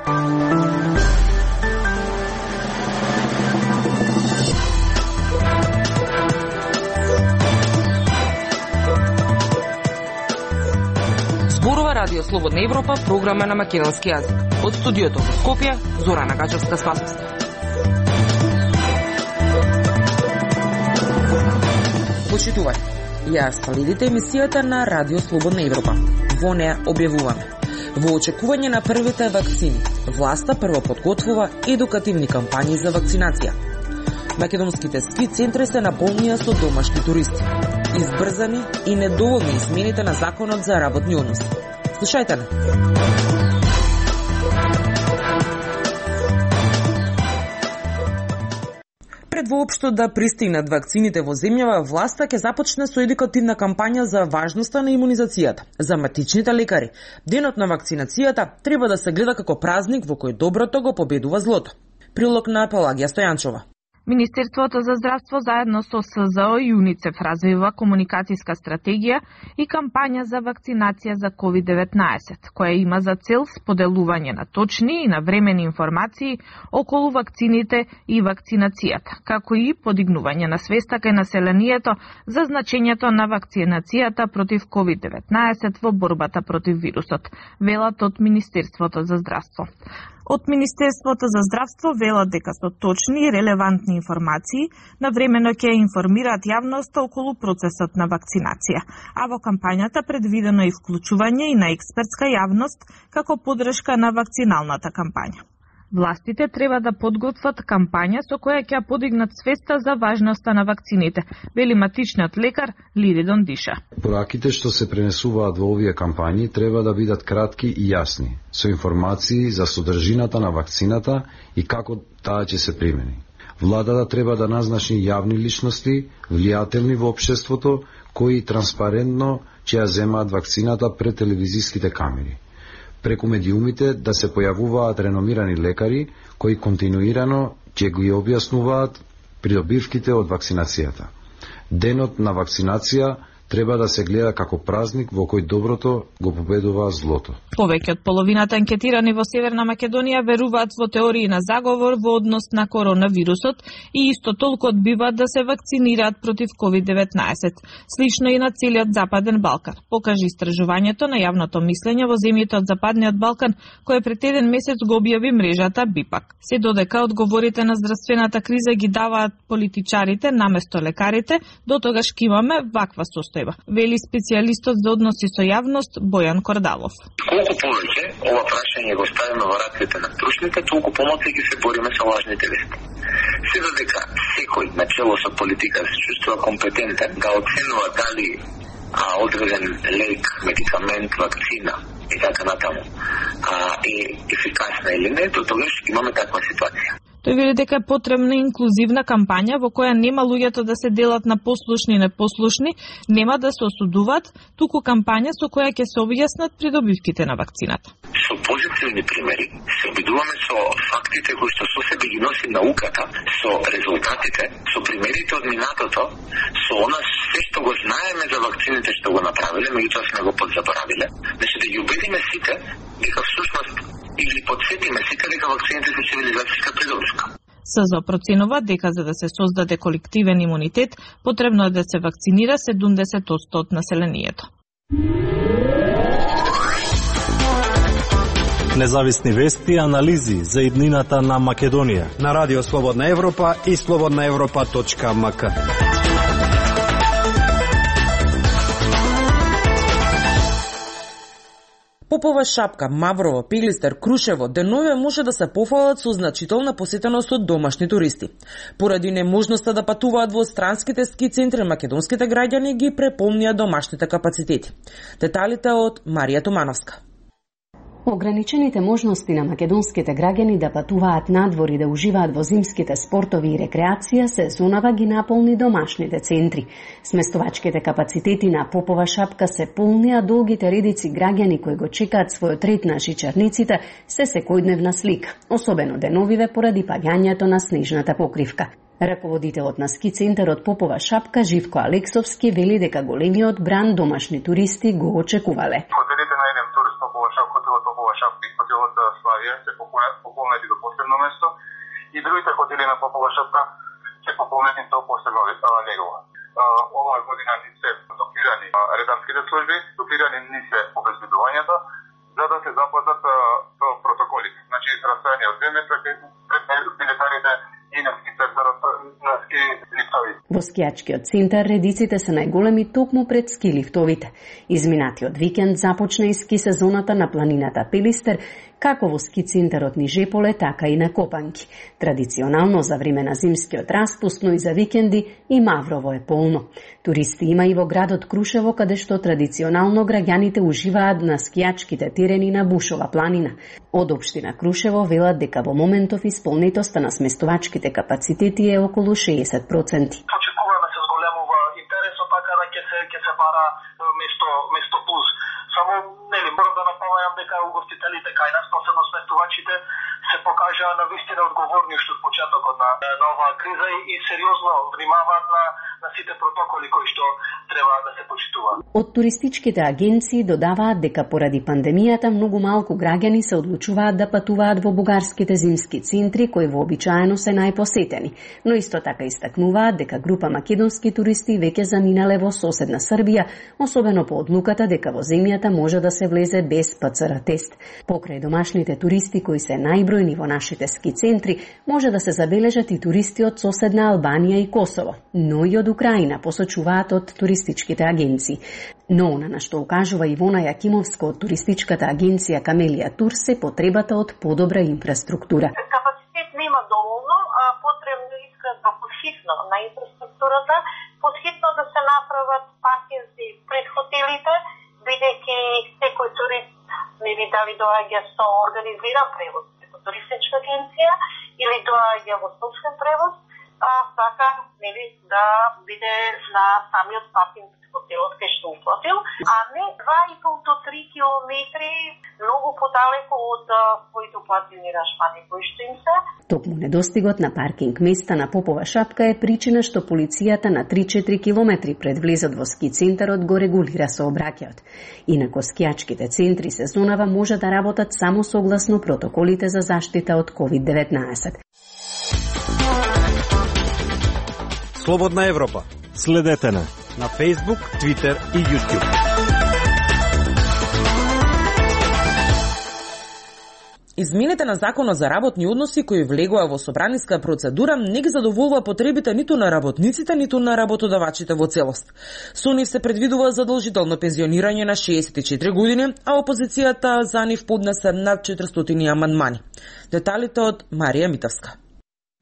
Зборува Радио Слободна Европа, програма на македонски јазик. Од студиото во Скопје, Зорана Гачевска-Спасовска. Почитувај, ја следите емисијата на Радио Слободна Европа. Во неа објавуваме: во очекување на првите вакцини, власта прво подготвува едукативни кампањи за вакцинација. Македонските ски центри се наполнија со домашни туристи. Избрзани и недоволни измените на законот за работни односи. Слушајте не. Пред воопшто да пристигнат вакцините во земјава, власта ќе започне со едукативна кампања за важноста на имунизацијата. За матичните лекари, денот на вакцинацијата треба да се гледа како празник во кој доброто го победува злото. Прилог на Пелагија Стојанчова. Министерството за здравство заедно со СЗО и ЮНИЦЕФ развива комуникацијска стратегија и кампања за вакцинација за COVID-19, која има за цел споделување на точни и навремени информации околу вакцините и вакцинацијата, како и подигнување на свеста кај населението за значењето на вакцинацијата против COVID-19 во борбата против вирусот, велат од Министерството за здравство. Од Министерството за здравство велат дека со точни и релевантни информации навремено ќе информираат јавноста околу процесот на вакцинација, а во кампањата предвидено и вклучување и на експертска јавност како поддршка на вакциналната кампања. Властите треба да подготват кампања со која ќе подигнат свеста за важноста на вакцините, вели матичниот лекар Лиридон Диша. Пораките што се пренесуваат во овие кампањи треба да бидат кратки и јасни, со информации за содржината на вакцината и како таа ќе се примени. Владата треба да назначи јавни личности, влијателни во општеството, кои транспарентно ќе ја земаат вакцината пред телевизиските камери. Преку медиумите да се појавуваат реномирани лекари кои континуирано ќе ги објаснуваат придобивките од вакцинацијата. Денот на вакцинација треба да се гледа како празник во кој доброто го победува злото. Повеќе од половината анкетирани во Северна Македонија веруваат во теории на заговор во однос на коронавирусот и исто толку одбиваат да се вакцинираат против COVID-19, слично и на целиот Западен Балкан, покажи истражувањето на јавното мислење во земјите од Западниот Балкан, кое пред еден месец го објави мрежата БИПАК. Се додека одговорите на здравствената криза ги даваат политичарите наместо лекарите, дотогаш ќе имаме ваква состојба, вели специјалистот за односи со јавност Бојан Кордалов. Колку повеќе ова прашање го ставиме во рацете на стручните, толку помалку ќе се бориме со лажните вести. Се додека секој начело со политика се чувствува компетентен да оценува дали одреден лек, медикамент, вакцина и така натаму е ефикасна или не, тогаш имаме таква ситуација. Тој вели дека е потребна инклузивна кампања во која нема луѓето да се делат на послушни и непослушни, нема да се осудуваат, туку кампања со која ќе се објаснат придобивките на вакцината. Со позитивни примери се обидуваме со фактите кои што со себе ги носи науката, со резултатите, со примерите од минатото, со она се што го знаеме за вакцините што го направиле, меѓутоа сме го подзаборавиле, значи да ги убедиме сите дека всушност или подсетиме сите дека вакцините се цивилизацијска придобивка. СЗО проценува дека за да се создаде колективен имунитет, потребно е да се вакцинира 70% од населението. Независни вести и анализи за иднината на Македонија на Радио Слободна Европа и slobodnaevropa.mk. Попова, Шапка, Маврово, Пилистер, Крушево денове може да се пофалат со значителна посетеност од домашни туристи. Поради неможноста да патуваат во странските ски центри, македонските граѓани ги преполнија домашните капацитети. Деталите од Марија Тумановска. Ограничените можности на македонските граѓани да патуваат надвор и да уживаат во зимските спортови и рекреација сезонава ги наполни домашните центри. Сместовачките капацитети на Попова, Шапка се полни, а долгите редици граѓани кои го чекаат својот ред на шичарниците се секојдневна слика, особено деновиве поради паѓањето на снежната покривка. Раководителот на ски центарот Попова, Шапка, Живко Алексовски, вели дека големиот бран домашни туристи го очекувале. Хотелите на еден тур Торис Топова Шап, хотелот Топова Шап и хотелот Славија се пополнети до последно место и другите хотели на Попова Шапка се пополнети до последно легова. Оваа година ни се дуплирани редарските служби, дуплирани ни се обезбедувањето, за да се запазат протоколите. Значи, растојание од 2 метра пред билетарите и на ски центарот, на ски лифтовите. Во скијачкиот центар редиците се најголеми токму пред ски лифтовите. Изминатиот викенд започна и ски сезоната на планината Пелистер, како во ски центарот Нижеполе, така и на Копанки. Традиционално за време на зимскиот распуст, но и за викенди и Маврово е полно. Туристи има и во градот Крушево, каде што традиционално граѓаните уживаат на скијачките терени на Бушова планина. Од општина Крушево велат дека во моментов исполнетоста на сместувачките капацитети е околу 60%. Очекуваме се зголемува интересот, така да ќе се бара место плюс. Само, морам да напомнам дека угостителите кај нас, посебно сместувачите, се покажаа на вистина одговорни уште од почетокот на оваа криза и сериозно внимаваат на сите протоколи кои што треба да се почитуваат. Од туристичките агенции додаваат дека поради пандемијата многу малку граѓани се одлучуваат да патуваат во бугарските зимски центри, кои вообичаено се најпосетени, но исто така истакнуваат дека група македонски туристи веќе заминале во соседна Србија, особено по одлуката дека во земјата може да се влезе без ПЦР тест. Покрај домашните туристи кои се најбројни во нашите ски центри, може да се забележат и туристи од соседна Албанија и Косово, но и од Украина, посочуваат од туристичките агенции. Но она на што укажува Ивона Јакимовска од туристичката агенција Камелија Тур се потребата од подобра инфраструктура. Капацитет нема доволно, потребно искаат подхитно на инфраструктурата, подхитно да се направат паркинзи пред хотелите, бидејќи секој турист нели дали доаѓа со организиран превоз преку туристичка агенција или доаѓа во собствен превоз, сака нели да биде на самиот паркинг хотелот кај што уплатил, а не 2,5 до 3 километри многу подалеку од своите уплатени рашпани кои што им се. Токму недостигот на паркинг места на Попова Шапка е причина што полицијата на 3-4 километри пред влезот во ски центарот го регулира сообраќајот. Инако скијачките центри сезонава може да работат само согласно протоколите за заштита од COVID-19. Слободна Европа. Следете на Facebook, Twitter и YouTube. Измените на Законот за работни односи кои влегоа во собраниска процедура не ги задоволува потребите ниту на работниците, ниту на работодавачите во целост. Со нив се предвидува задолжително пензионирање на 64 години, а опозицијата за нив поднесе над 400 амандмани. Деталите од Марија Митовска.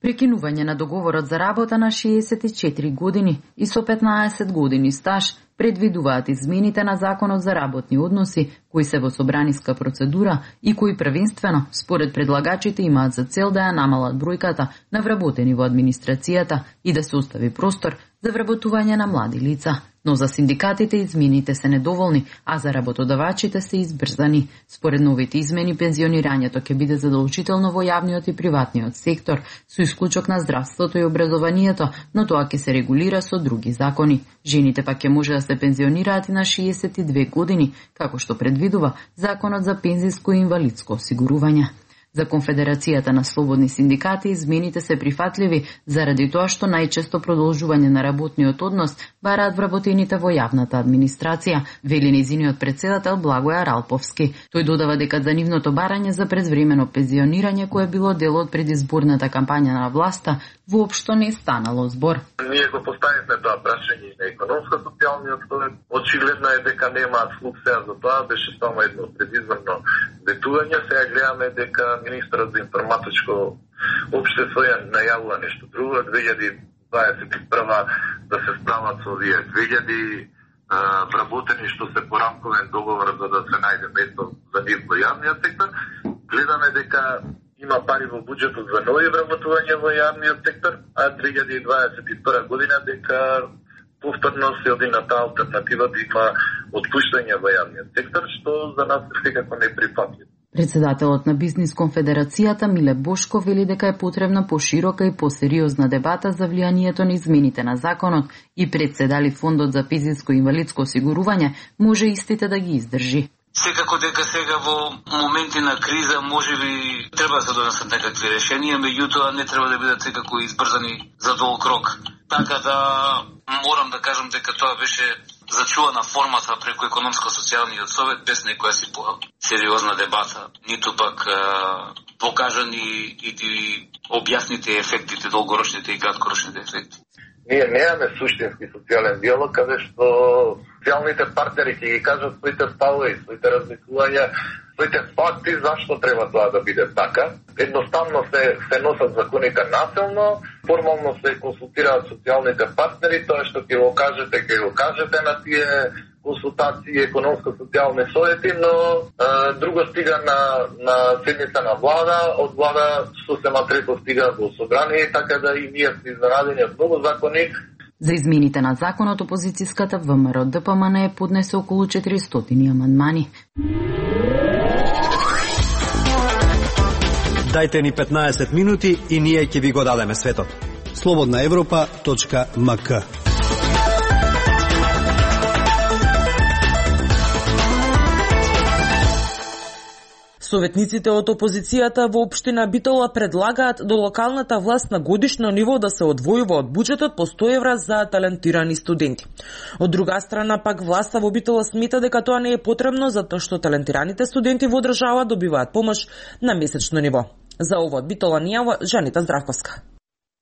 Прекинување на договорот за работа на 64 години и со 15 години стаж предвидуваат измените на Законот за работни односи, кои се во собраниска процедура и кои првенствено, според предлагачите, имаат за цел да ја намалат бројката на вработени во администрацијата и да се остави простор за вработување на млади лица. Но за синдикатите измените се недоволни, а за работодавачите се избрзани. Според новите измени, пензионирањето ќе биде задолжително во јавниот и приватниот сектор, со исклучок на здравството и образованието, но тоа ќе се регулира со други закони. Жените пак ќе може да се пензионираат и на 62 години, како што предвидува Законот за пензиско и инвалидско осигурување. За Конфедерацијата на слободни синдикати измените се прифатливи заради тоа што најчесто продолжување на работниот однос бараат вработените во јавната администрација, вели нејзиниот председател Благој Аралповски. Тој додава дека за нивното барање за предвремено пензионирање, кое било дел од предизборната кампања на власта, воопшто не станало збор. Ние го поставивме тоа прашање на економско-социјалниот совет. Очигледно е дека немаат слух сега за тоа, беше само едно предизборно ветување. Сега гледаме дека министрот за информатичко општество ја најавува нешто друго, 2021 да се справат со овие 2000 вработени што се по рамковен договор за да се најде место за нив во јавниот сектор. Гледаме дека има пари во буџетот за нови вработувања во јавниот сектор, а 2021 година дека повторно се оди на таа алтернатива да има отпуштање во јавниот сектор, што за нас е секако неприфатливо. Председателот на Бизнис Конфедерацијата Миле Бошко вели дека е потребна поширока и посериозна дебата за влијанието на измените на законот и председали Фондот за пензиско и инвалидско осигурување може истите да ги издржи. Секако дека сега во моменти на криза можеби треба да се донесат некакви решенија, меѓутоа не треба да бидат секако избрзани за долг рок. Така да морам да кажам дека тоа беше зачувана формата преку економско-социјалниот совет без некоја си сериозна дебата, ниту пак покажани и објасните ефектите, долгорочните и краткорочните ефекти. Ние немаме суштински социјален диалог, каде што социјалните партнери ќе ги кажат своите ставови, своите размислувања, своите факти зашто треба тоа да биде така. Едноставно се носат законите насилно, формално се консултираат социјалните партнери, тоа што ќе го кажете на тие консултации, економско-социјални совети, но друго стига на седница на влада, од влада сосема трето стига во собрание, така да и ние сме изненадени од многу закони. За измените на законот, опозицијската ВМРО ДПМН поднесе околу 400 амандмани. Дајте ни 15 минути и ние ќе ви го дадеме светот. slobodnaevropa.mk. Советниците од опозицијата во општина Битола предлагаат до локалната власт на годишно ниво да се одвојува од буџетот по 100 евра за талентирани студенти. Од друга страна пак власта во Битола смета дека тоа не е потребно затоа што талентираните студенти во држава добиваат помош на месечно ниво. За ова од Битола ни јава Жанита Здравковска.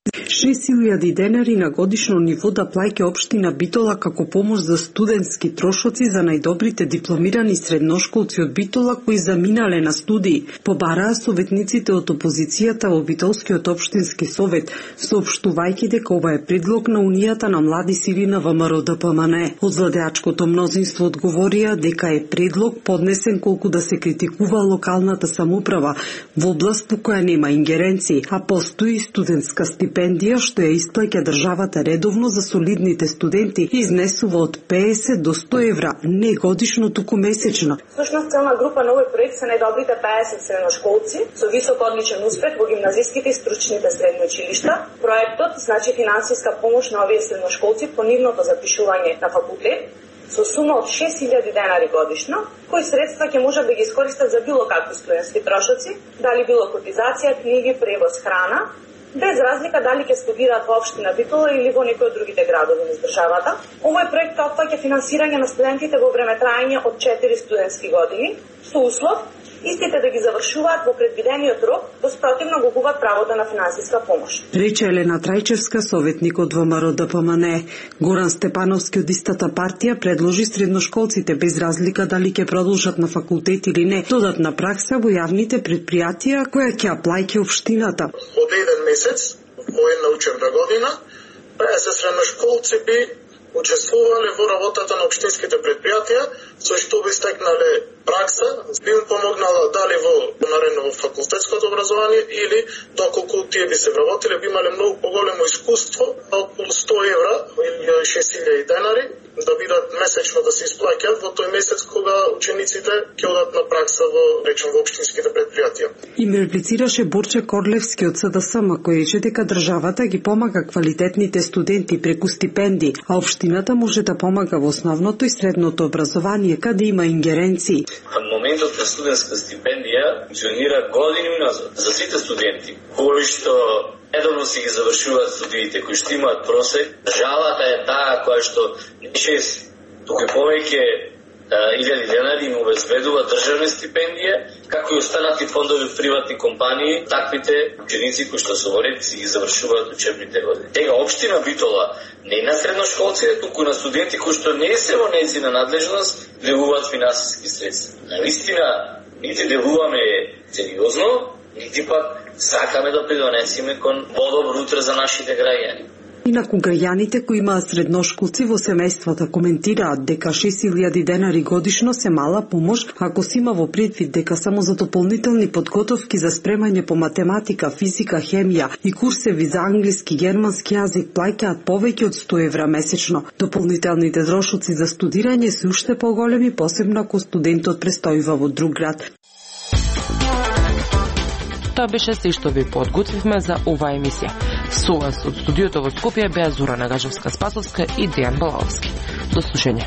6.000 денари на годишно ниво да плаќа општина Битола како помош за студентски трошоци за најдобрите дипломирани средношколци од Битола кои заминале на студии, побараа советниците од опозицијата во Битолскиот општински совет, соопштувајќи дека ова е предлог на Унијата на млади сили на ВМРО ДПМН. Од владеачкото мнозинство одговорија дека е предлог поднесен колку да се критикува локалната самоуправа во област по која нема ингеренции, а постои студентска стипендија што ја исплаќа државата редовно за солидните студенти изнесува од 50 до 100 евра, не годишно, туку месечно. Всушност целна група на овој проект се најдобрите 50 средношколци со висок одличен успех во гимназиските и стручните средни училишта. Проектот значи финансиска помош на овие средношколци по нивното запишување на факултет со сума од 6.000 денари годишно, кои средства ќе можат да ги искористат за било какви студентски трошоци, дали било котизација, книги, превоз, храна, без разлика дали ќе студираат во општина Битола или во некој од другите градови на државата. Овој проект опфаќа финансирање на студентите во време траење од 4 студентски години, со услов истите да ги завршуваат во предвидениот рок, во спротивно го губат правото на финансиска помош. Рече Елена Трајчевска, советник од ВМРО ДПМН. Горан Степановски од истата партија предложи средношколците без разлика дали ќе продолжат на факултет или не, додатна пракса во јавните предпријатија која ќе ја плаќа општината. Од еден месец во една учебна година 50 средношколци би учествувале во работата на општинските предпријатија, со што би стекнале пракса, би им помогнала дали во наредно во факултетското образование или доколку тие би се вработиле, би имале многу поголемо искуство, околу 100 евра или 6.000 денари да бидат месечно да се исплаќаат во тој месец кога учениците ќе одат на пракса во речем во општинските предпријатија. Им реплицираше Борче Корлевски од СДСМ, кој рече дека државата ги помага квалитетните студенти преку стипендии, а општината може да помага во основното и средното образование каде има ингеренции. Моментот на студентска стипендија функционира години назад за сите студенти кои што едовно си ги завршуваат студиите, кои што имаат просек. Државата е таа која што не 6, туку повеќе 1000 денари им обезбедува државна стипендија, како и останати фондови од приватни компании, таквите ученици кои што со ред си ги завршуваат учебните години. Тега општина Битола не на средношколците, туку на студенти кои што не се во нејзина надлежност делуваат финансиски средства. Навистина, нити делуваме сериозно, нити пак сакаме да придонесеме кон подобро утре за нашите граѓани. Инаку граѓаните кои имаат средношколци во семејствата коментираат дека 6.000 денари годишно се мала помош ако се има во предвид дека само за дополнителни подготовки за спремање по математика, физика, хемија и курсеви за англиски, германски јазик плаќаат повеќе од 100 евра месечно. Дополнителните трошоци за студирање се уште поголеми, посебно ако студентот престојува во друг град. Тоа беше се што ви подготвивме за оваа емисија. Со вас од студиото во Скопје беа Зора Нагажевска-Спасовска и Дејан Балаловски. До слушање.